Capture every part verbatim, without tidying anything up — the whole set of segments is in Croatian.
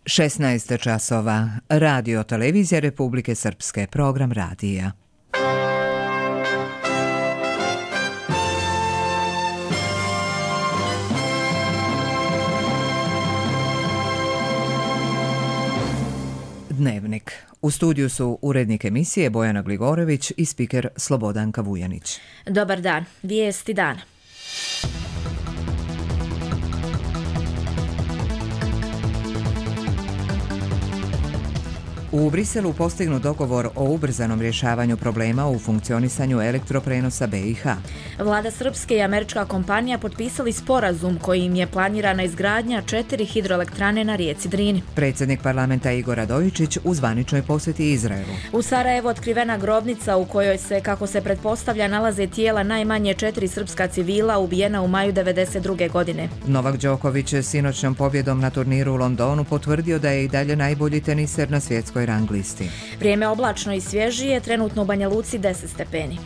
šesnaest časova. Radio televizija Republike Srpske. Program radija. Dnevnik. U studiju su urednik emisije Bojana Gligorović i spiker Slobodanka Vujanić. Dobar dan. Vijesti dana. U Briselu postignut dogovor o ubrzanom rješavanju problema u funkcionisanju elektroprenosa be i ha. Vlada Srpske i američka kompanija potpisali sporazum kojim je planirana izgradnja četiri hidroelektrane na rijeci Drini. Predsjednik parlamenta Igor Radojičić u zvaničnoj posjeti Izraelu. U Sarajevu otkrivena grobnica u kojoj se, kako se pretpostavlja, nalaze tijela najmanje četiri srpska civila ubijena u maju devedeset druge godine. Novak Đoković sinoćnom pobjedom na turniru u Londonu potvrdio da je i dalje najbolji teniser na svjetskoj rang listi. Vrijeme oblačno i svježije, trenutno u Banja Luci deset stepeni.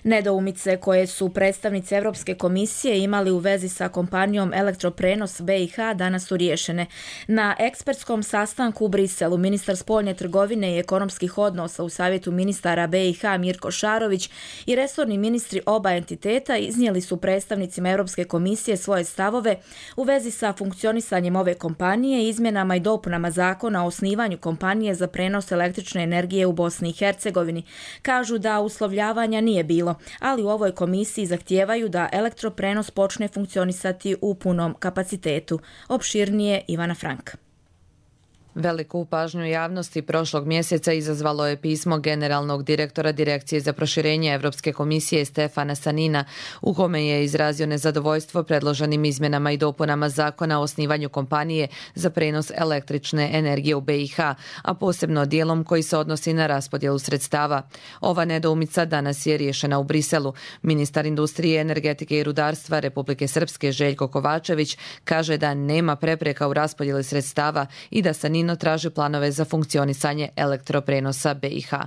Nedoumice koje su predstavnici Europske komisije imali u vezi sa kompanijom Elektroprenos be i ha danas su riješene. Na ekspertskom sastanku u Briselu ministar spoljne trgovine i ekonomskih odnosa u savjetu ministara be i ha Mirko Šarović i resorni ministri oba entiteta iznijeli su predstavnicima Europske komisije svoje stavove u vezi sa funkcionisanjem ove kompanije i izmjenama i dopunama zakona o osnivanju kompanije za prenos električne energije u Bosni i Hercegovini. Kažu da uslovljavanja nije bilo, ali u ovoj komisiji zahtijevaju da elektroprenos počne funkcionisati u punom kapacitetu. Opširnije Ivana Frank. Veliku pažnju javnosti prošlog mjeseca izazvalo je pismo generalnog direktora Direkcije za proširenje Europske komisije Stefana Sanina, u kome je izrazio nezadovoljstvo predloženim izmjenama i dopunama zakona o osnivanju kompanije za prenos električne energije u be i ha, a posebno dijelom koji se odnosi na raspodjelu sredstava. Ova nedoumica danas je riješena u Briselu. Ministar industrije, energetike i rudarstva Republike Srpske Željko Kovačević kaže da nema prepreka u raspodjeli sredstava i da Sanin traži planove za funkcionisanje elektroprenosa be i ha.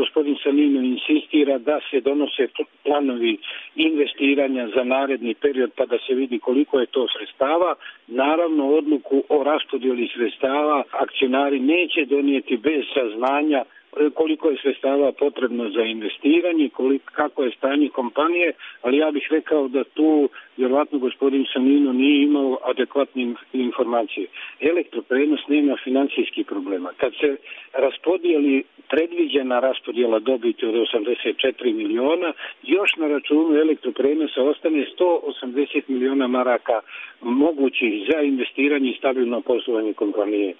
Gospodin Sanino insistira da se donose planovi investiranja za naredni period pa da se vidi koliko je to sredstava. Naravno, odluku o raspodjeli sredstava akcionari neće donijeti bez saznanja koliko je sredstava potrebno za investiranje, koliko, kako je stanje kompanije, ali ja bih rekao da tu vjerovatno gospodin Sanino nije imao adekvatne informacije. Elektroprenos nema financijskih problema. Kad se raspodijeli predviđena raspodjela dobiti od osamdeset četiri miliona, još na računu elektroprenosa ostane sto osamdeset miliona maraka mogućih za investiranje i stabilno poslovanje kompanije.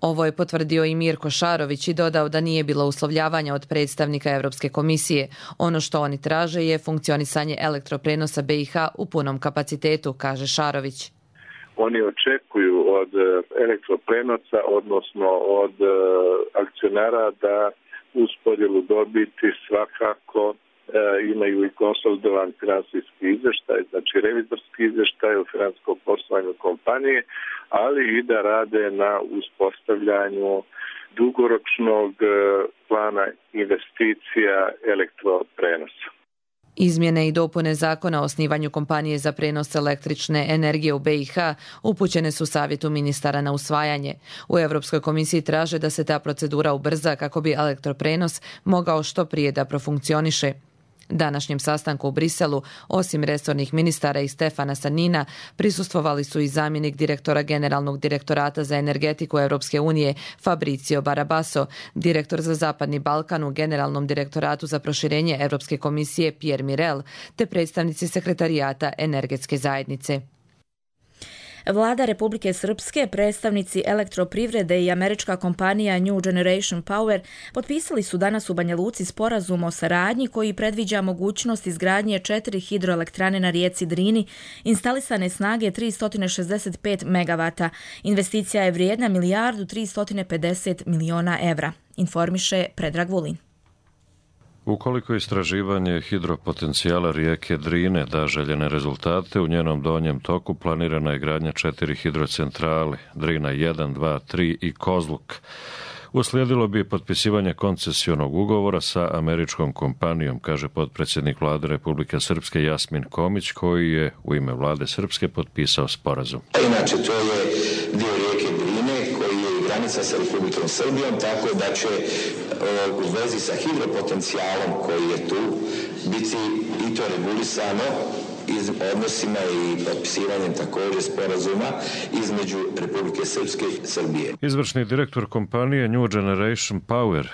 Ovo je potvrdio i Mirko Šarović i dodao da nije bilo uslovljavanja od predstavnika Europske komisije. Ono što oni traže je funkcionisanje elektroprenosa be i ha u punom kapacitetu, kaže Šarović. Oni očekuju od elektroprenosa, odnosno od akcionara, da uz podjelu dobiti svakako imaju i konsolidovan finansijski izvještaj, znači revizorski izvještaj o financijskom poslovanju kompanije, ali i da rade na uspostavljanju dugoročnog plana investicija elektroprenosa. Izmjene i dopune zakona o osnivanju kompanije za prenos električne energije u be i ha upućene su savjetu ministara na usvajanje. U Europskoj komisiji traže da se ta procedura ubrza kako bi elektroprenos mogao što prije da profunkcioniše. Današnjem sastanku u Briselu, osim resornih ministara i Stefana Sanina, prisustvovali su i zamjenik direktora Generalnog direktorata za energetiku Europske unije Fabrizio Barabaso, direktor za Zapadni Balkan u Generalnom direktoratu za proširenje Europske komisije Pierre Mirel, te predstavnici sekretarijata energetske zajednice. Vlada Republike Srpske, predstavnici elektroprivrede i američka kompanija New Generation Power potpisali su danas u Banja Luci sporazum o saradnji koji predviđa mogućnost izgradnje četiri hidroelektrane na rijeci Drini, instalisane snage tristo šezdeset pet megavata. Investicija je vrijedna milijardu tristo pedeset miliona evra, informiše Predrag Vulin. Ukoliko istraživanje hidropotencijala rijeke Drine da željene rezultate, u njenom donjem toku planirana je gradnja četiri hidrocentrale, Drina jedan, dva, tri i Kozluk, Uslijedilo bi potpisivanje koncesionog ugovora sa američkom kompanijom, kaže potpredsjednik vlade Republike Srpske Jasmin Komić, koji je u ime vlade Srpske potpisao sporazum. Inače, to je dio rijeke Drine koji je granica sa Republikom Srbijom, tako da će u vezi sa hidropotencijalom koji je tu biti i to regulisano iz odnosima i potpisivanjem također sporazuma između Republike Srpske i Srbije. Izvršni direktor kompanije New Generation Power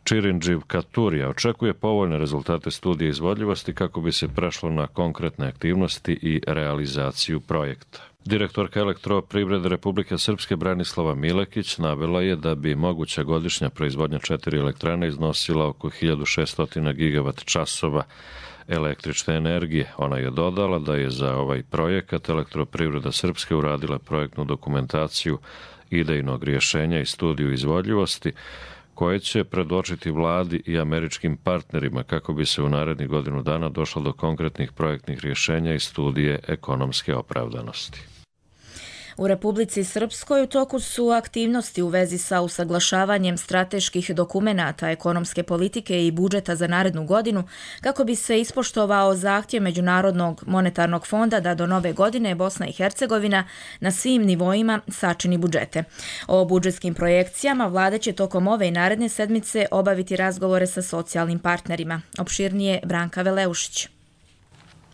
Čirinđiv Katurija očekuje povoljne rezultate studije izvodljivosti kako bi se prešlo na konkretne aktivnosti i realizaciju projekta. Direktorka Elektroprivrede Republike Srpske Branislava Milekić navela je da bi moguća godišnja proizvodnja četiri elektrane iznosila oko hiljadu šesto gigavat časova električne energije. Ona je dodala da je za ovaj projekat Elektroprivreda Srpske uradila projektnu dokumentaciju idejnog rješenja i studiju izvodljivosti koje će predočiti vladi i američkim partnerima kako bi se u narednih godinu dana došlo do konkretnih projektnih rješenja i studije ekonomske opravdanosti. U Republici Srpskoj u toku su aktivnosti u vezi sa usaglašavanjem strateških dokumenata ekonomske politike i budžeta za narednu godinu kako bi se ispoštovao zahtjev Međunarodnog monetarnog fonda da do nove godine Bosna i Hercegovina na svim nivoima sačini budžete. O budžetskim projekcijama vlada će tokom ove i naredne sedmice obaviti razgovore sa socijalnim partnerima. Opširnije Branka Veleušić.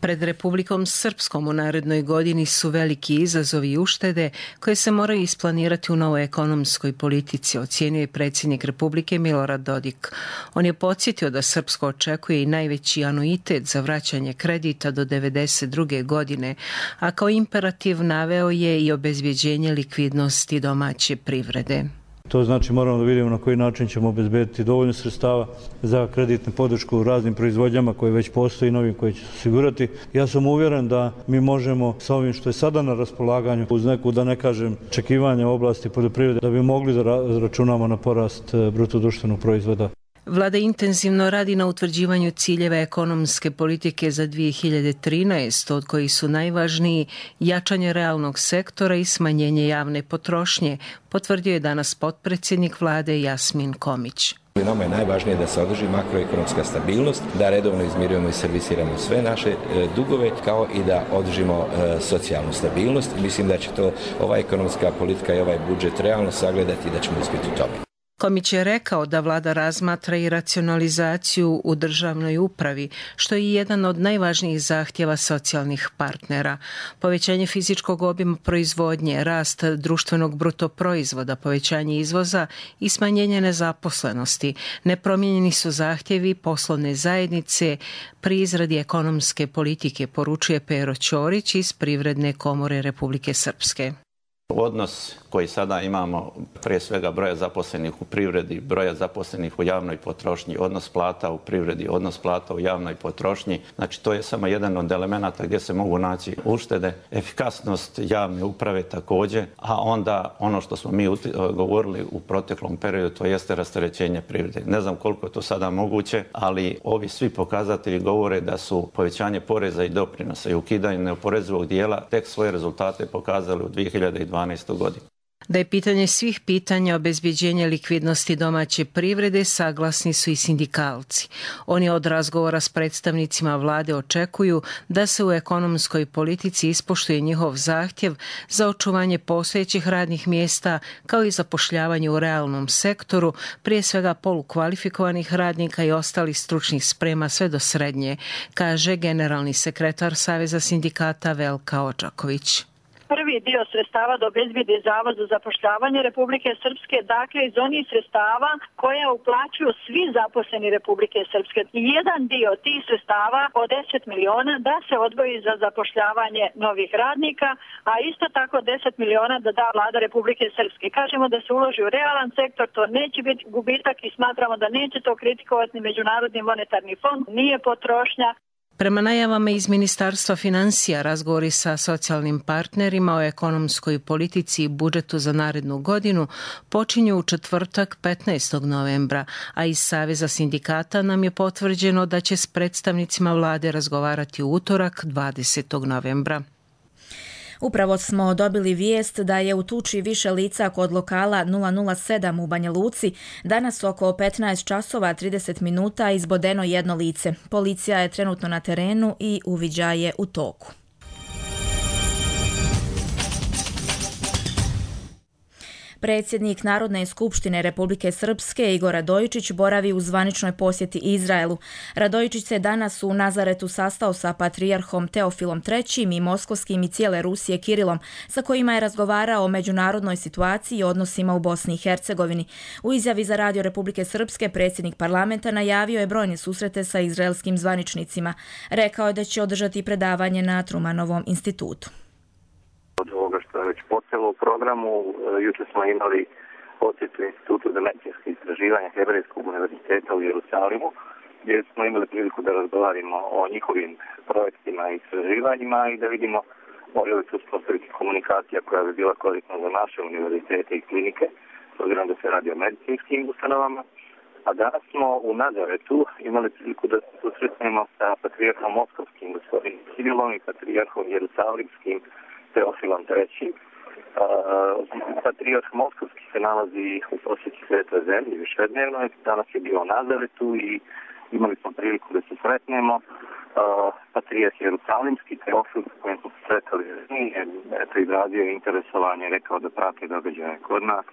Pred Republikom Srpskom u narednoj godini su veliki izazovi i uštede koje se moraju isplanirati u novoj ekonomskoj politici, ocijenio je predsjednik Republike Milorad Dodik. On je podsjetio da Srpsko očekuje i najveći anuitet za vraćanje kredita do devedeset druge godine, a kao imperativ naveo je i obezbjeđenje likvidnosti domaće privrede. To znači moramo da vidimo na koji način ćemo obezbediti dovoljno sredstava za kreditnu podršku raznim proizvođama koje već postoji i novim koje će se osigurati. Ja sam uvjeren da mi možemo sa ovim što je sada na raspolaganju uz neku, da ne kažem, očekivanja u oblasti poljoprivrede, da bi mogli da računamo na porast bruto društvenog proizvoda. Vlada intenzivno radi na utvrđivanju ciljeva ekonomske politike za dvije hiljade trinaestu, od kojih su najvažniji jačanje realnog sektora i smanjenje javne potrošnje, potvrdio je danas potpredsjednik vlade Jasmin Komić. Nama je najvažnije da se održi makroekonomska stabilnost, da redovno izmirujemo i servisiramo sve naše dugove, kao i da održimo socijalnu stabilnost. Mislim da će to ova ekonomska politika i ovaj budžet realno sagledati i da ćemo uspjeti u tome. Komić je rekao da vlada razmatra i racionalizaciju u državnoj upravi, što je jedan od najvažnijih zahtjeva socijalnih partnera. Povećanje fizičkog obima proizvodnje, rast društvenog bruto proizvoda, povećanje izvoza i smanjenje nezaposlenosti. Nepromijenjeni su zahtjevi poslovne zajednice pri izradi ekonomske politike, poručuje Pero Ćorić iz Privredne komore Republike Srpske. Odnos koji sada imamo, prije svega broja zaposlenih u privredi, broja zaposlenih u javnoj potrošnji, odnos plata u privredi, odnos plata u javnoj potrošnji, znači to je samo jedan od elemenata gdje se mogu naći uštede, efikasnost javne uprave također, a onda ono što smo mi govorili u proteklom periodu, to jeste rasterećenje privrede. Ne znam koliko je to sada moguće, ali ovi svi pokazatelji govore da su povećanje poreza i doprinosa i ukidanje neoporezivog dijela tek svoje rezultate pokazali u dvije hiljade dvanaestoj godini. Da je pitanje svih pitanja obezbjeđenja likvidnosti domaće privrede, saglasni su i sindikalci. Oni od razgovora s predstavnicima vlade očekuju da se u ekonomskoj politici ispoštuje njihov zahtjev za očuvanje postojećih radnih mjesta kao i zapošljavanje u realnom sektoru, prije svega polukvalifikovanih radnika i ostalih stručnih sprema sve do srednje, kaže generalni sekretar Saveza sindikata Velka Očaković. Prvi dio sredstava da obezbijedi Zavod za zapošljavanje Republike Srpske, dakle iz onih sredstava koja uplaćuju svi zaposleni Republike Srpske. Jedan dio tih sredstava od deset miliona da se odvoji za zapošljavanje novih radnika, a isto tako deset miliona da da vlada Republike Srpske. Kažemo da se uloži u realan sektor, to neće biti gubitak i smatramo da neće to kritikovati ni Međunarodni monetarni fond, nije potrošnja. Prema najavama iz Ministarstva financija, razgovori sa socijalnim partnerima o ekonomskoj politici i budžetu za narednu godinu počinju u četvrtak petnaestog novembra, a iz Saveza sindikata nam je potvrđeno da će s predstavnicima vlade razgovarati u utorak dvadesetog novembra. Upravo smo dobili vijest da je u tuči više lica kod lokala nula nula sedam u Banja Luci danas oko petnaest časova trideset minuta izbodeno jedno lice. Policija je trenutno na terenu i uviđaj je u toku. Predsjednik Narodne skupštine Republike Srpske Igor Radojičić boravi u zvaničnoj posjeti Izraelu. Radojičić se danas u Nazaretu sastao sa patrijarhom Teofilom trećim i moskovskim i cijele Rusije Kirilom, sa kojima je razgovarao o međunarodnoj situaciji i odnosima u Bosni i Hercegovini. U izjavi za Radio Republike Srpske predsjednik parlamenta najavio je brojne susrete sa izraelskim zvaničnicima. Rekao je da će održati predavanje na Trumanovom institutu. Od ovoga što je već počelo u programu, jučer smo imali posjetu Institutu za medicinske istraživanja Hebrejskog univerziteta u Jerusalimu, gdje smo imali priliku da razgovarimo o njihovim projektima i istraživanjima i da vidimo može li se uspostaviti komunikacija koja bi bila korisna za naše univerzitete i klinike, s obzirom da se radi o medicinskim ustanovama. A danas smo u Nazaretu imali priliku da se susretnemo sa patrijarhom moskovskim gospodinom Kirilom i patrijarhom jerusalimskim Teofilom trećim. Patrijarh moskovski se nalazi u posjeti Svetoj zemlji višednevno, danas je bio u Nazaretu i imali smo priliku da se sretnemo. Patrijarh jerusalimski Teofil s kojim smo se sretali je izrazio interesovanje i rekao da prate događaje kod nas.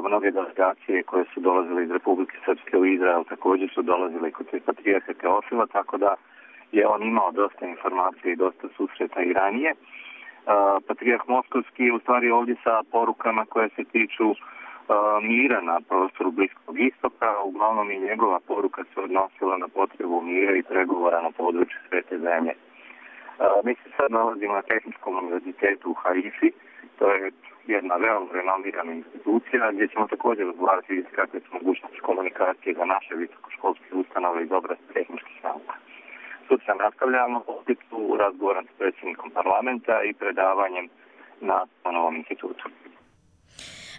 Mnoge delegacije koje su dolazile iz Republike Srpske u Izrael također su dolazile kod patrijarha Teofila, tako da je on imao dosta informacije i dosta susreta i ranije. Patrijarh moskovski je u stvari ovdje sa porukama koje se tiču uh, mira na prostoru Bliskog istoka. Uglavnom i njegova poruka se odnosila na potrebu mira i pregovora na području Svete zemlje. Uh, mi se sad nalazimo na Tehničkom univerzitetu u Haifi. To je jedna veoma renomirana institucija gdje ćemo također razgovarati vidjeti kakve su mogućnosti komunikacije za naše visokoškolske ustanove iz oblasti tehničkih nauka. Sutra nastavljamo posjetu razgovorom s predsjednikom parlamenta i predavanjem na novom institutu.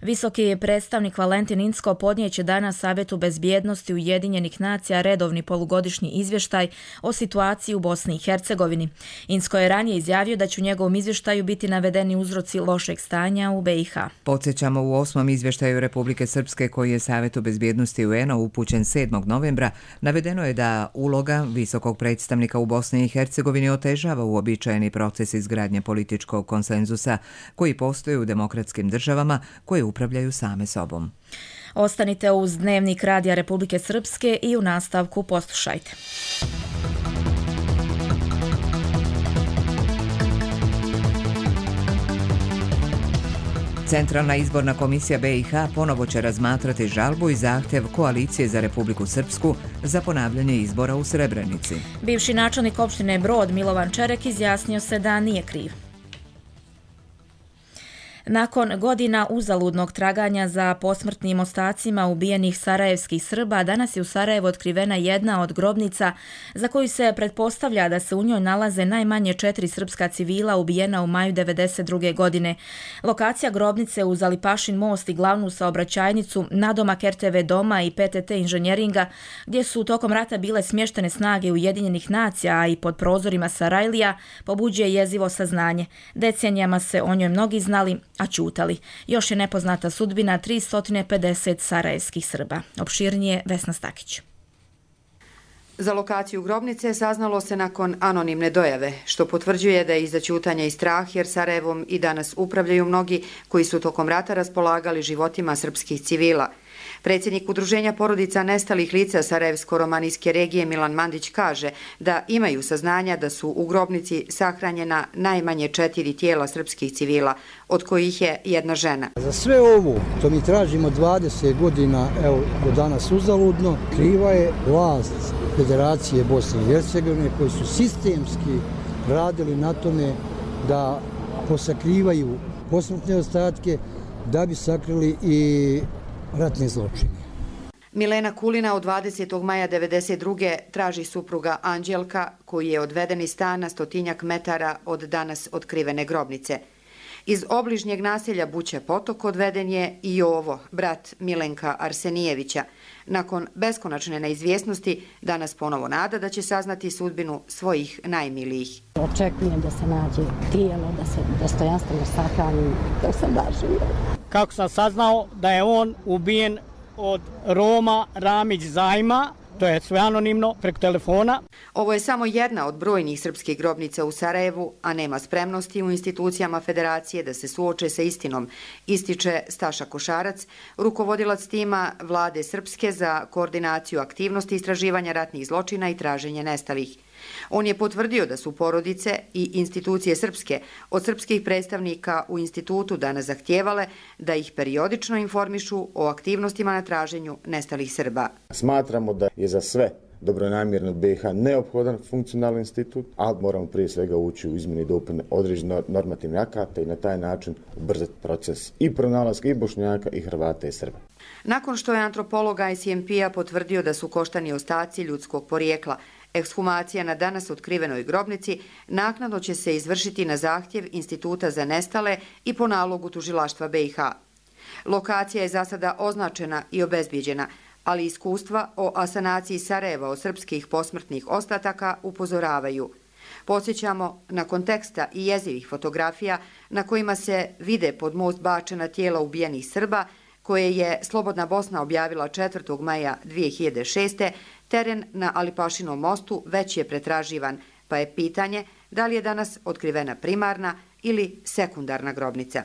Visoki predstavnik Valentin Incko podnijeće danas Savjetu bezbjednosti Ujedinjenih nacija redovni polugodišnji izvještaj o situaciji u Bosni i Hercegovini. Incko je ranije izjavio da će u njegovom izvještaju biti navedeni uzroci lošeg stanja u B i H. Podsjećamo, u osmom izvještaju Republike Srpske koji je Savjetu bezbjednosti U N A upućen sedmog novembra, navedeno je da uloga visokog predstavnika u Bosni i Hercegovini otežava uobičajeni proces izgradnje političkog konsenzusa koji postoji u demokratskim državama koje upravljaju same sobom. Ostanite uz Dnevnik Radija Republike Srpske i u nastavku poslušajte. Centralna izborna komisija B i H ponovo će razmatrati žalbu i zahtjev Koalicije za Republiku Srpsku za ponavljanje izbora u Srebrenici. Bivši načelnik opštine Brod Milovan Čerek izjasnio se da nije kriv. Nakon godina uzaludnog traganja za posmrtnim ostacima ubijenih sarajevskih Srba, danas je u Sarajevu otkrivena jedna od grobnica za koju se pretpostavlja da se u njoj nalaze najmanje četiri srpska civila ubijena u maju devedeset druge godine. Lokacija grobnice uz Alipašin most i glavnu saobraćajnicu, nadomak R T V doma i P T T inženjeringa, gdje su tokom rata bile smještene snage Ujedinjenih nacija, a i pod prozorima Sarajlija, pobuđuje jezivo saznanje. Decenijama se o njoj mnogi znali, a ćutali. Još je nepoznata sudbina tristo pedeset sarajevskih Srba. Opširnije Vesna Stakić. Za lokaciju grobnice saznalo se nakon anonimne dojave, što potvrđuje da je iza ćutanja i strah, jer Sarajevom i danas upravljaju mnogi koji su tokom rata raspolagali životima srpskih civila. Predsjednik Udruženja porodica nestalih lica Sarajevsko-romanijske regije Milan Mandić kaže da imaju saznanja da su u grobnici sahranjena najmanje četiri tijela srpskih civila, od kojih je jedna žena. Za sve ovo, to mi tražimo dvadeset godina, evo do danas uzaludno, kriva je vlast Federacije Bosne i Hercegovine koji su sistemski radili na tome da posakrivaju posmrtne ostatke da bi sakrili i ratne zločine. Milena Kulina od dvadesetog maja devedeset druge traži supruga Anđelka, koji je odveden iz stana stotinjak metara od danas otkrivene grobnice. Iz obližnjeg naselja Buća Potok odveden je i Jovo, brat Milenka Arsenijevića. Nakon beskonačne neizvjesnosti, danas ponovo nada da će saznati sudbinu svojih najmilijih. Očekujem da se nađe tijelo, da se dostojanstveno sahrani, da sam da živa. Kako sam saznao da je on ubijen od Roma Ramić Zajma, to je sve anonimno, preko telefona. Ovo je samo jedna od brojnih srpskih grobnica u Sarajevu, a nema spremnosti u institucijama federacije da se suoče sa istinom, ističe Staša Košarac, rukovodilac tima Vlade Srpske za koordinaciju aktivnosti istraživanja ratnih zločina i traženje nestalih. On je potvrdio da su porodice i institucije Srpske od srpskih predstavnika u institutu danas zahtijevale da ih periodično informišu o aktivnostima na traženju nestalih Srba. Smatramo da je za sve dobronamjerno B i H neophodan funkcionalni institut, ali moramo prije svega ući u izmjene i dopune određenih normativnih akata i na taj način ubrzati proces i pronalaska i Bošnjaka i Hrvata i Srba. Nakon što je antropolog I C M P-a potvrdio da su koštani ostaci ljudskog porijekla, ekshumacija na danas otkrivenoj grobnici naknadno će se izvršiti na zahtjev Instituta za nestale i po nalogu tužilaštva B i H. Lokacija je za sada označena i obezbijeđena, ali iskustva o asanaciji Sarajeva od srpskih posmrtnih ostataka upozoravaju. Podsjećamo na konteksta i jezivih fotografija na kojima se vide pod most bačena tijela ubijenih Srba, koje je Slobodna Bosna objavila četvrtog maja dvije hiljade šeste. Teren na Alipašinom mostu već je pretraživan, pa je pitanje da li je danas otkrivena primarna ili sekundarna grobnica.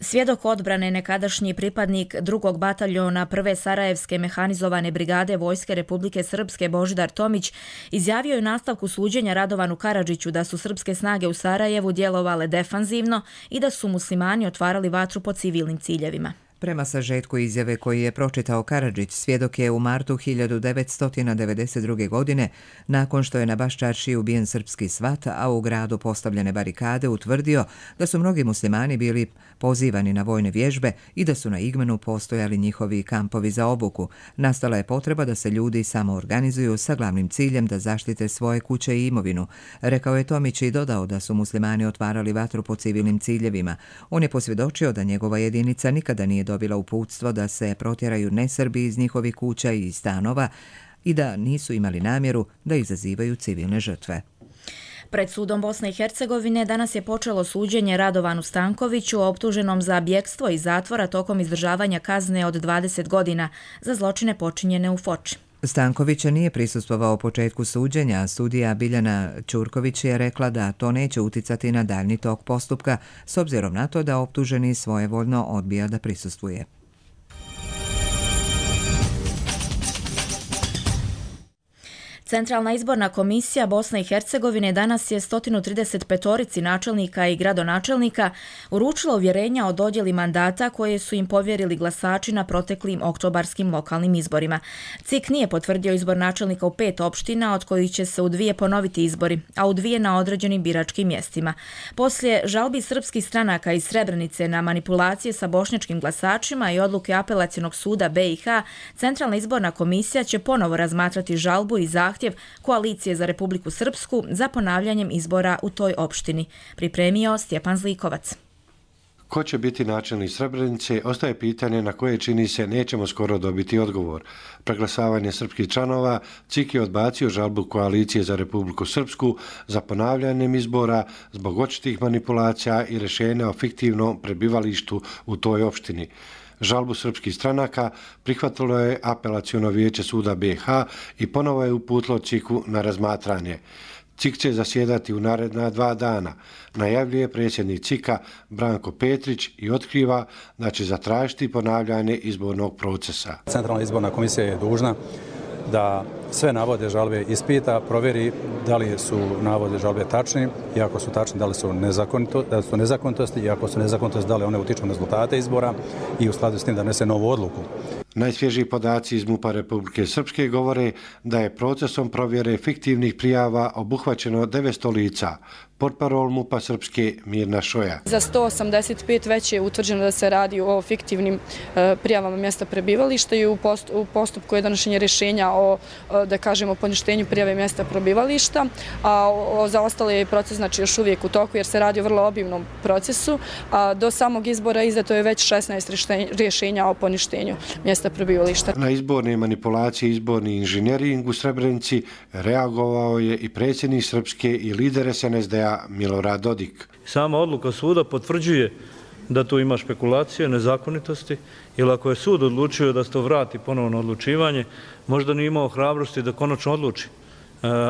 Svjedok odbrane, nekadašnji pripadnik drugog bataljona prve Sarajevske mehanizovane brigade Vojske Republike Srpske Božidar Tomić izjavio je u nastavku suđenja Radovanu Karadžiću da su srpske snage u Sarajevu djelovale defanzivno i da su muslimani otvarali vatru po civilnim ciljevima. Prema sažetku izjave koji je pročitao Karadžić, svjedok je u martu hiljadu devetsto devedeset druge. godine, nakon što je na Baščaršiji ubijen srpski svat, a u gradu postavljene barikade, utvrdio da su mnogi muslimani bili pozivani na vojne vježbe i da su na Igmenu postojali njihovi kampovi za obuku. Nastala je potreba da se ljudi samo organizuju sa glavnim ciljem da zaštite svoje kuće i imovinu. Rekao je Tomić i dodao da su muslimani otvarali vatru po civilnim ciljevima. On je posvjedočio da njegova jedinica nikada nije dobila uputstvo da se protjeraju nesrbi iz njihovih kuća i stanova i da nisu imali namjeru da izazivaju civilne žrtve. Pred sudom Bosne i Hercegovine danas je počelo suđenje Radovanu Stankoviću, optuženom za bjekstvo iz zatvora tokom izdržavanja kazne od dvadeset godina za zločine počinjene u Foči. Stankovića nije prisustvovao početku suđenja, a sudija Biljana Ćurković je rekla da to neće uticati na daljni tok postupka, s obzirom na to da optuženi svojevoljno odbija da prisustvuje. Centralna izborna komisija Bosne i Hercegovine danas je sto trideset pet načelnika i gradonačelnika uručila uvjerenja o dodjeli mandata koje su im povjerili glasači na proteklim oktobarskim lokalnim izborima. C I K nije potvrdio izbor načelnika u pet opština, od kojih će se u dvije ponoviti izbori, a u dvije na određenim biračkim mjestima. Poslije žalbi srpskih stranaka iz Srebrenice na manipulacije sa bošnjačkim glasačima i odluke apelacionog suda B i H, Centralna izborna komisija će ponovo razmatrati žalbu i zahtjev Koalicije za Republiku Srpsku za ponavljanjem izbora u toj opštini. Pripremio Stjepan Zlikovac. Ko će biti načelnik Srebrenice, ostaje pitanje na koje čini se nećemo skoro dobiti odgovor. Preglasavanje srpskih članova, C I K je odbacio žalbu Koalicije za Republiku Srpsku za ponavljanjem izbora zbog očitih manipulacija i rješenja o fiktivnom prebivalištu u toj opštini. Žalbu srpskih stranaka prihvatilo je apelaciono vijeće suda B i H i ponovo je uputilo C I K-u na razmatranje. C I K će zasjedati u naredna dva dana, najavljuje predsjednik C I K-a Branko Petrić i otkriva da će zatražiti ponavljanje izbornog procesa. Centralna izborna komisija je dužna da sve navode žalbe ispita, provjeri da li su navode žalbe tačni i ako su tačni da li su, nezakonito, da su nezakonitosti i ako su nezakonitosti da li one utiču na rezultate izbora i u skladu s tim da nese novu odluku. Najsvježiji podaci iz MUP-a Republike Srpske govore da je procesom provjere fiktivnih prijava obuhvaćeno devetsto lica. Portparol MUP-a Srpske Mirna Šoja. Za sto osamdeset pet već je utvrđeno da se radi o fiktivnim e, prijavama mjesta prebivališta i u, post, u postupku je donošenje rješenja o, da kažemo, poništenju prijave mjesta prebivališta, a o, o, za ostale je proces znači, još uvijek u toku jer se radi o vrlo obimnom procesu, a do samog izbora izdato je već šesnaest rješenja o poništenju mjesta prebivališta. Na izborne manipulacije, izborni inženjering u Srebrenici reagovao je i predsjednik Srpske i lider S N S D A Milorad Dodik. Sama odluka suda potvrđuje da tu ima špekulacije, nezakonitosti, ili ako je sud odlučio da se to vrati ponovno odlučivanje, možda nije imao hrabrosti da konačno odluči,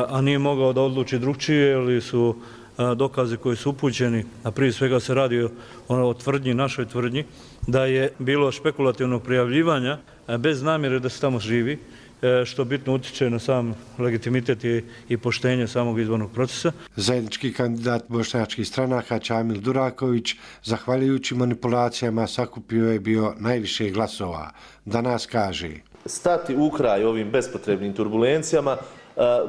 a nije mogao da odluči drugčije ili su dokaze koji su upućeni, a prije svega se radi o tvrdnji, našoj tvrdnji, da je bilo špekulativnog prijavljivanja bez namjere da se tamo živi, što bitno utiče na sam legitimitet i poštenje samog izbornog procesa. Zajednički kandidat bošnjačkih stranaka Čamil Duraković, zahvaljujući manipulacijama, sakupio je bio najviše glasova. Danas kaže: stati u kraj ovim bespotrebnim turbulencijama,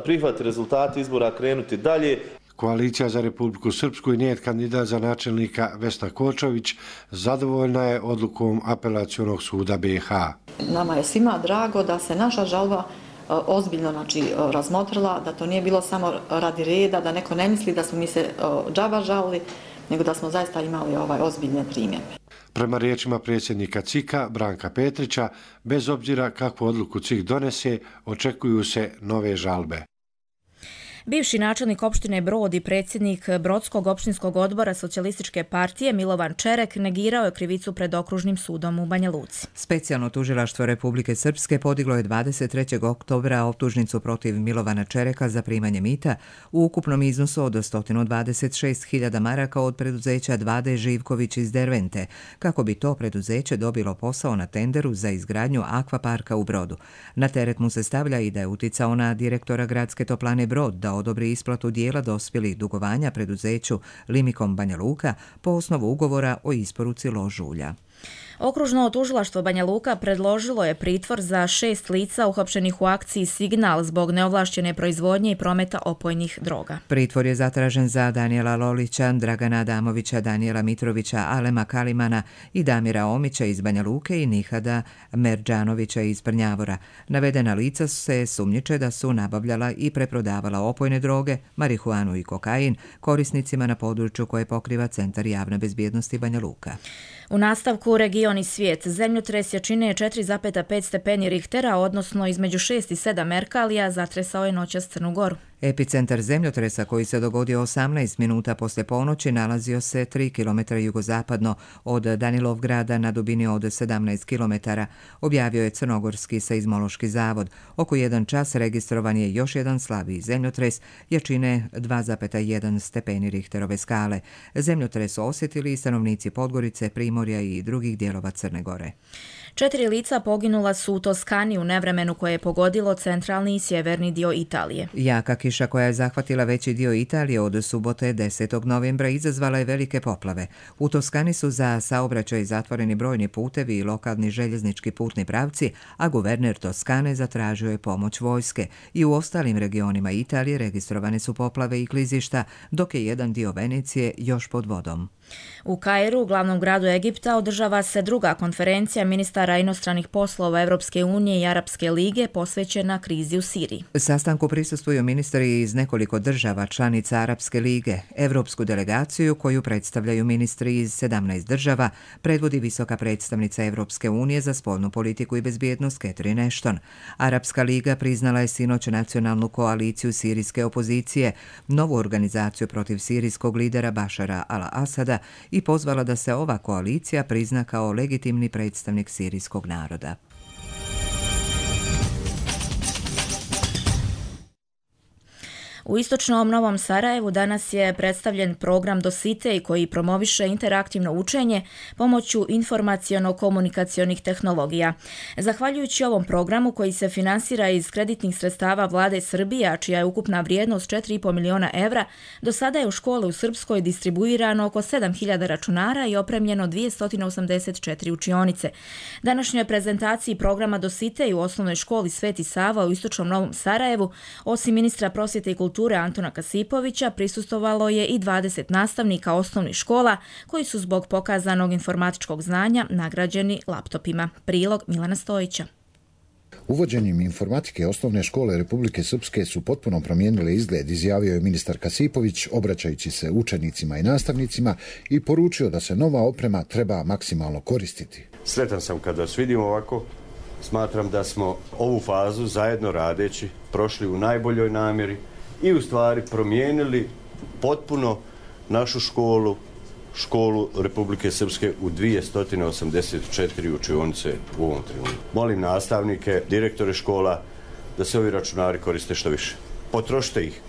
prihvati rezultati izbora, krenuti dalje. Koalicija za Republiku Srpsku i njen kandidat za načelnika Vesna Kočović zadovoljna je odlukom Apelacionog suda B i H. Nama je svima drago da se naša žalba ozbiljno znači, razmotrila, da to nije bilo samo radi reda, da neko ne misli da smo mi se džaba žalili, nego da smo zaista imali ovaj ozbiljne primjedbe. Prema riječima predsjednika C I K-a Branka Petrića, bez obzira kakvu odluku C I K donese, očekuju se nove žalbe. Bivši načelnik opštine Brod i predsjednik Brodskog opštinskog odbora Socijalističke partije Milovan Čerek negirao je krivicu pred okružnim sudom u Banja Luci. Specijalno tužilaštvo Republike Srpske podiglo je dvadeset trećeg oktobra optužnicu protiv Milovana Čereka za primanje mita u ukupnom iznosu od sto dvadeset šest hiljada maraka od preduzeća dva D Živković iz Dervente, kako bi to preduzeće dobilo posao na tenderu za izgradnju akvaparka u Brodu. Na teret mu se stavlja i da je uticao na direktora gradske toplane Brod da odobri isplatu dijela dospjelih dugovanja preduzeću Limikom Banja Luka po osnovu ugovora o isporuci lož ulja. Okružno tužilaštvo Banja Luka predložilo je pritvor za šest lica uhapšenih u akciji Signal zbog neovlašćene proizvodnje i prometa opojnih droga. Pritvor je zatražen za Danijela Lolića, Dragana Adamovića, Danijela Mitrovića, Alema Kalimana i Damira Omića iz Banja Luke i Nihada Merđanovića iz Prnjavora. Navedena lica se sumnjiče da su nabavljala i preprodavala opojne droge, marihuanu i kokain korisnicima na području koje pokriva Centar javne bezbjednosti Banja Luka. U nastavku region i svijet. Zemljotres jačine četiri zarez pet stepeni Richtera, odnosno između šest i sedam Merkalija, zatresao je noćas Crnu Goru. Epicentar zemljotresa koji se dogodio osamnaest minuta poslije ponoći nalazio se tri kilometra jugozapadno od Danilovgrada na dubini od sedamnaest kilometara, objavio je Crnogorski seizmološki zavod. Oko jedan čas registrovan je još jedan slabiji zemljotres jačine dva zarez jedan stepeni Richterove skale. Zemljotres osjetili i stanovnici Podgorice, Primorja i drugih dijelova Crne Gore. Četiri lica poginula su u Toskani u nevremenu koje je pogodilo centralni i sjeverni dio Italije. Jaka kiša koja je zahvatila veći dio Italije od subote desetog novembra izazvala je velike poplave. U Toskani su za saobraćaj zatvoreni brojni putevi i lokalni željeznički putni pravci, a guverner Toskane zatražio je pomoć vojske. I u ostalim regionima Italije registrovane su poplave i klizišta, dok je jedan dio Venecije još pod vodom. U Kairu, glavnom gradu Egipta, održava se druga konferencija ministara inostranih poslova Evropske unije i Arapske lige posvećena krizi u Siriji. Sastanku prisustvuju ministri iz nekoliko država članica Arapske lige. Evropsku delegaciju, koju predstavljaju ministri iz sedamnaest država, predvodi visoka predstavnica Evropske unije za spoljnu politiku i bezbjednost Catherine Ashton. Arapska liga priznala je sinoć nacionalnu koaliciju sirijske opozicije, novu organizaciju protiv sirijskog lidera Bašara al-Asada, i pozvala da se ova koalicija prizna kao legitimni predstavnik sirijskog naroda. U istočnom Novom Sarajevu danas je predstavljen program Dositej koji promoviše interaktivno učenje pomoću informaciono-komunikacionih tehnologija. Zahvaljujući ovom programu koji se finansira iz kreditnih sredstava vlade Srbije, a čija je ukupna vrijednost četiri i po miliona evra, do sada je u škole u Srpskoj distribuirano oko sedam hiljada računara i opremljeno dvjesto osamdeset četiri učionice. Današnjoj prezentaciji programa Dositej u osnovnoj školi Sveti Sava u istočnom Novom Sarajevu, osim ministra prosvjete i kulture kulture Antuna Kasipovića prisustvovalo je i dvadeset nastavnika osnovnih škola koji su zbog pokazanog informatičkog znanja nagrađeni laptopima. Prilog Milana Stojića. Uvođenjem informatike osnovne škole Republike Srpske su potpuno promijenile izgled, izjavio je ministar Kasipović, obraćajući se učenicima i nastavnicima i poručio da se nova oprema treba maksimalno koristiti. Sretan sam kada vas vidim ovako. Smatram da smo ovu fazu zajedno radeći prošli u najboljoj namjeri i u stvari promijenili potpuno našu školu, školu Republike Srpske u dvjesto osamdeset četiri učionice u ovom trenutku. Molim nastavnike, direktore škola da se ovi računari koriste što više. Potrošite ih,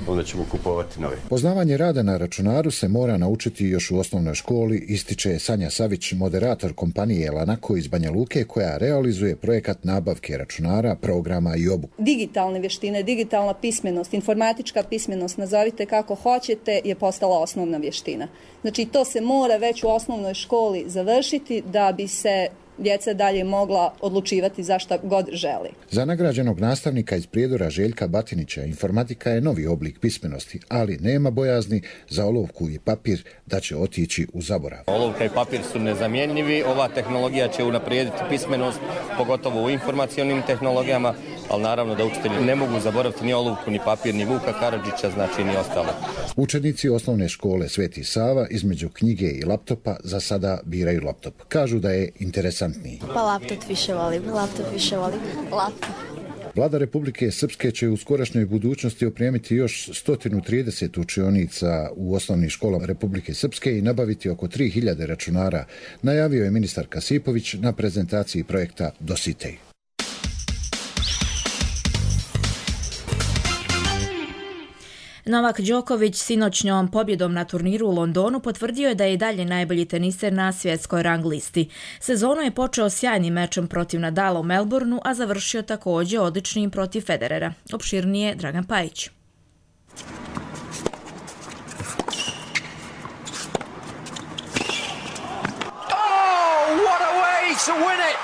onda ćemo kupovati nove. Poznavanje rada na računaru se mora naučiti još u osnovnoj školi, ističe Sanja Savić, moderator kompanije Lanako iz Banja Luke, koja realizuje projekat nabavke računara, programa i obuku. Digitalne vještine, digitalna pismenost, informatička pismenost, nazovite kako hoćete, je postala osnovna vještina. Znači to se mora već u osnovnoj školi završiti da bi se djeca dalje mogla odlučivati za šta god želi. Za nagrađenog nastavnika iz Prijedora Željka Batinića informatika je novi oblik pismenosti, ali nema bojazni za olovku i papir da će otići u zaborav. Olovka i papir su nezamjenjivi, ova tehnologija će unaprijediti pismenost, pogotovo u informacionim tehnologijama, ali naravno da učitelji ne mogu zaboraviti ni olovku, ni papir, ni Vuka Karadžića, znači ni ostalo. Učenici osnovne škole Sveti Sava između knjige i laptopa za sada biraju laptop. Kažu da je interesantniji. Pa laptop više volim, laptop više volim, laptop. Vlada Republike Srpske će u skorašnjoj budućnosti opremiti još sto trideset učionica u osnovnim školama Republike Srpske i nabaviti oko tri hiljade računara, najavio je ministar Kasipović na prezentaciji projekta Dositej. Novak Đoković sinoćnjom pobjedom na turniru u Londonu potvrdio je da je i dalje najbolji teniser na svjetskoj rang listi. Sezonu je počeo sjajnim mečom protiv Nadala u Melbourneu, a završio također odličnim protiv Federera. Opširnije Dragan Pajić. Oh, what a way to win it!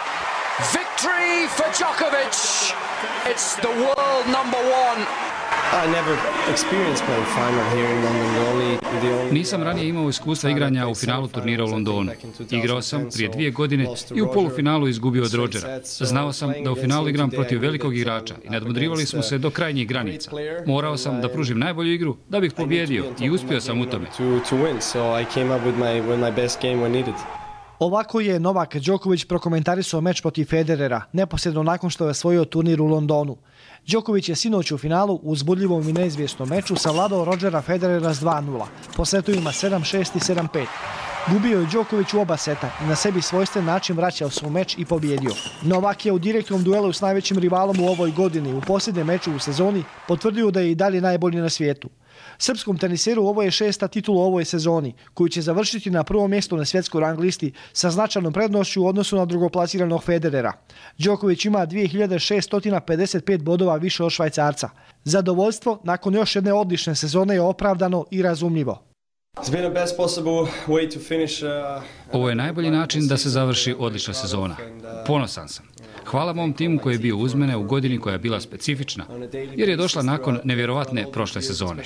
Victory for Djokovic! It's the world number one! Nisam ranije imao iskustva igranja u finalu turnira u Londonu. Igrao sam prije dvije godine i u polufinalu izgubio od Rodgera. Znao sam da u finalu igram protiv velikog igrača i nadmudrivali smo se do krajnjih granica. Morao sam da pružim najbolju igru da bih pobjedio i uspio sam u tome. Ovako je Novak Đoković prokomentarisao meč protiv Federera, neposredno nakon što je osvojio turnir u Londonu. Đoković je sinoć u finalu u uzbudljivom i neizvjesnom meču savladao Rodgera Federera s dva nula, po setovima sedam šest i sedam pet. Gubio je Đoković u oba seta i na sebi svojstven način vraćao se u meč i pobjedio. Novak je u direktnom duelu s najvećim rivalom u ovoj godini u posljednjem meču u sezoni potvrdio da je i dalje najbolji na svijetu. Srpskom teniseru ovo je šesta titula u ovoj sezoni, koju će završiti na prvom mjestu na svjetskoj rang listi sa značajnom prednošću u odnosu na drugoplasiranog Federera. Đoković ima dvije hiljade šeststo pedeset pet bodova više od Švajcarca. Zadovoljstvo nakon još jedne odlične sezone je opravdano i razumljivo. Ovo je najbolji način da se završi odlična sezona. Ponosan sam. Hvala mom timu koji je bio uz mene u godini koja je bila specifična, jer je došla nakon nevjerovatne prošle sezone.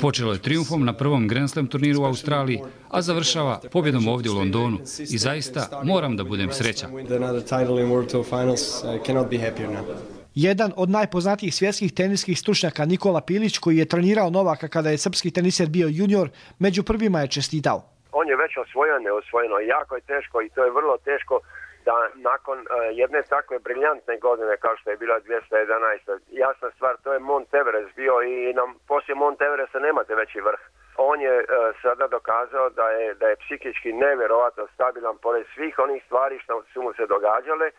Počelo je trijumfom na prvom Grand Slam turniru u Australiji, a završava pobjedom ovdje u Londonu i zaista moram da budem srećan. Jedan od najpoznatijih svjetskih teniskih stručnjaka Nikola Pilić, koji je trenirao Novaka kada je srpski teniser bio junior, među prvima je čestitao. On je već osvojio neosvojeno. Jako je teško i to je vrlo teško da nakon uh, jedne takve briljantne godine kao što je bila dvjesto jedanaest. Jasna stvar, to je Mount Everest bio i nam poslije Mount Everesta nemate veći vrh. On je uh, sada dokazao da je, da je psihički nevjerovatno stabilan pored svih onih stvari što su mu se događale uh,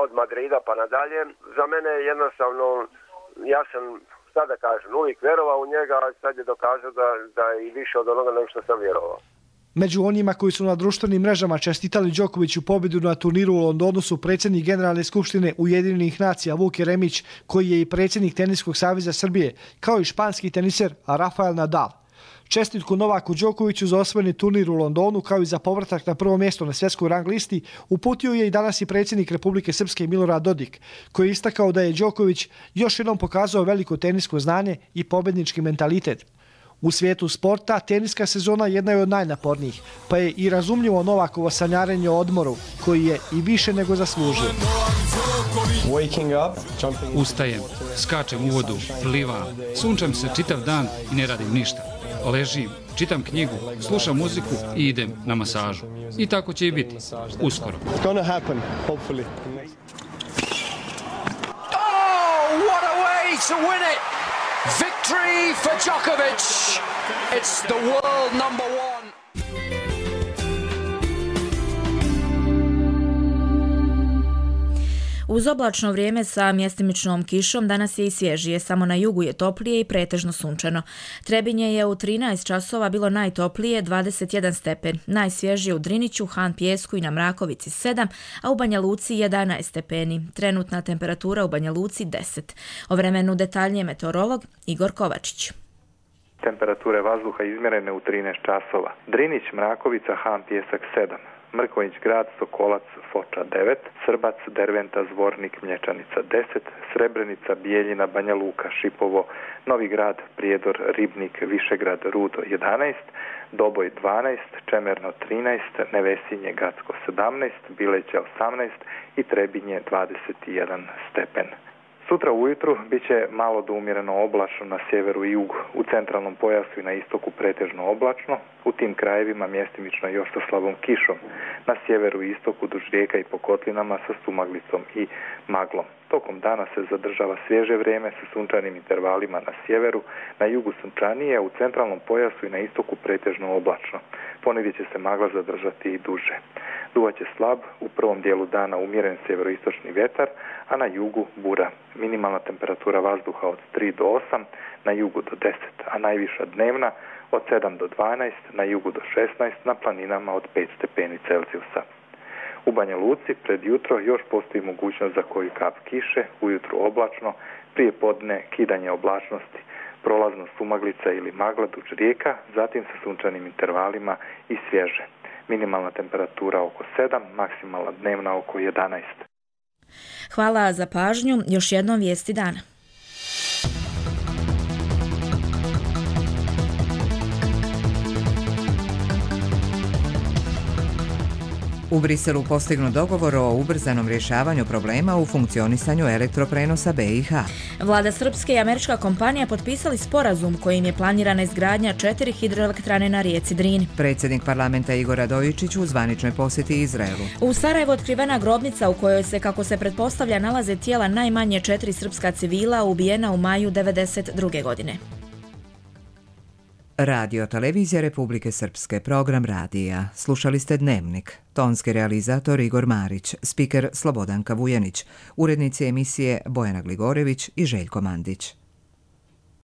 od Madrida pa nadalje. Za mene je jednostavno, ja sam, šta da kažem, uvijek vjerovao u njega, a sad je dokazao da, da je i više od onoga nego što sam vjerovao. Među onima koji su na društvenim mrežama čestitali Đokoviću pobjedu na turniru u Londonu su predsjednik Generalne skupštine Ujedinjenih nacija Vuk Jeremić, koji je i predsjednik Teniskog saveza Srbije, kao i španski teniser Rafael Nadal. Čestitku Novaku Đokoviću za osvojeni turnir u Londonu kao i za povratak na prvo mjesto na svjetskoj rang listi uputio je i danas i predsjednik Republike Srpske Milorad Dodik, koji je istakao da je Đoković još jednom pokazao veliko tenisko znanje i pobjednički mentalitet. U svijetu sporta teniska sezona jedna je od najnapornijih, pa je i razumljivo Novakovo sanjarenje o odmoru, koji je i više nego zaslužio. Ustajem, skačem u vodu, plivam, sunčam se čitav dan i ne radim ništa. Ležim, čitam knjigu, slušam muziku i idem na masažu. I tako će i biti. Uskoro. Oh, what a way to win it! Victory for Djokovic! It's the world number one! Uz oblačno vrijeme sa mjestimičnom kišom danas je i svježije, samo na jugu je toplije i pretežno sunčano. Trebinje je u trinaest časova bilo najtoplije, dvadeset jedan stepen, najsvježije u Driniću, Han Pijesku i na Mrakovici sedam, a u Banja Luci jedanaest stepeni. Trenutna temperatura u Banja Luci deset. O vremenu detaljnije meteorolog Igor Kovačić. Temperature vazduha izmjerene u trinaest časova. Drinić, Mrakovica, Han Pijesak sedam. Mrkonjić grad, Sokolac, Foča devet, Srbac, Derventa, Zvornik, Mlječanica deset, Srebrenica, Bijeljina, Banja Luka, Šipovo, Novi grad, Prijedor, Ribnik, Višegrad, Rudo jedanaest, Doboj dvanaest, Čemerno trinaest, Nevesinje, Gacko sedamnaest, Bileća osamnaest i Trebinje dvadeset jedan stepen. Sutra ujutru bit će malo do umjereno oblačno na sjeveru i jugu, u centralnom pojasu i na istoku pretežno oblačno, u tim krajevima mjestimično još sa slabom kišom, na sjeveru i istoku duž rijeka i po kotlinama sa sumaglicom i maglom. Tokom dana se zadržava svježe vrijeme sa sunčanim intervalima na sjeveru, na jugu sunčanije, u centralnom pojasu i na istoku pretežno oblačno. Ponegdje će se magla zadržati i duže. Duvat će slab, u prvom dijelu dana umjeren sjeveroistočni vjetar, a na jugu bura. Minimalna temperatura vazduha od tri do osam, na jugu do deset, a najviša dnevna od sedam do dvanaest, na jugu do šesnaest, na planinama od pet stepeni Celzijusa. U Banja Luci pred jutro još postoji mogućnost za koju kap kiše, ujutru oblačno, prije podne kidanje oblačnosti, prolazno sumaglica ili magla duž rijeka, zatim sa sunčanim intervalima i svježe. Minimalna temperatura oko sedam, maksimalna dnevna oko jedanaest. Hvala za pažnju. Još jednom vijesti dana. U Briselu postignut dogovor o ubrzanom rješavanju problema u funkcionisanju elektroprenosa B i H. Vlada Srpske i američka kompanija potpisali sporazum kojim je planirana izgradnja četiri hidroelektrane na rijeci Drini. Predsjednik parlamenta Igor Radojičić u zvaničnoj posjeti Izraelu. U Sarajevu otkrivena grobnica u kojoj se, kako se pretpostavlja, nalaze tijela najmanje četiri srpska civila ubijena u maju devedeset druge godine. Radio Televizija Republike Srpske, program radija. Slušali ste Dnevnik. Tonski realizator Igor Marić, spiker Slobodanka Vujanić, urednici emisije Bojana Gligorević i Željko Mandić.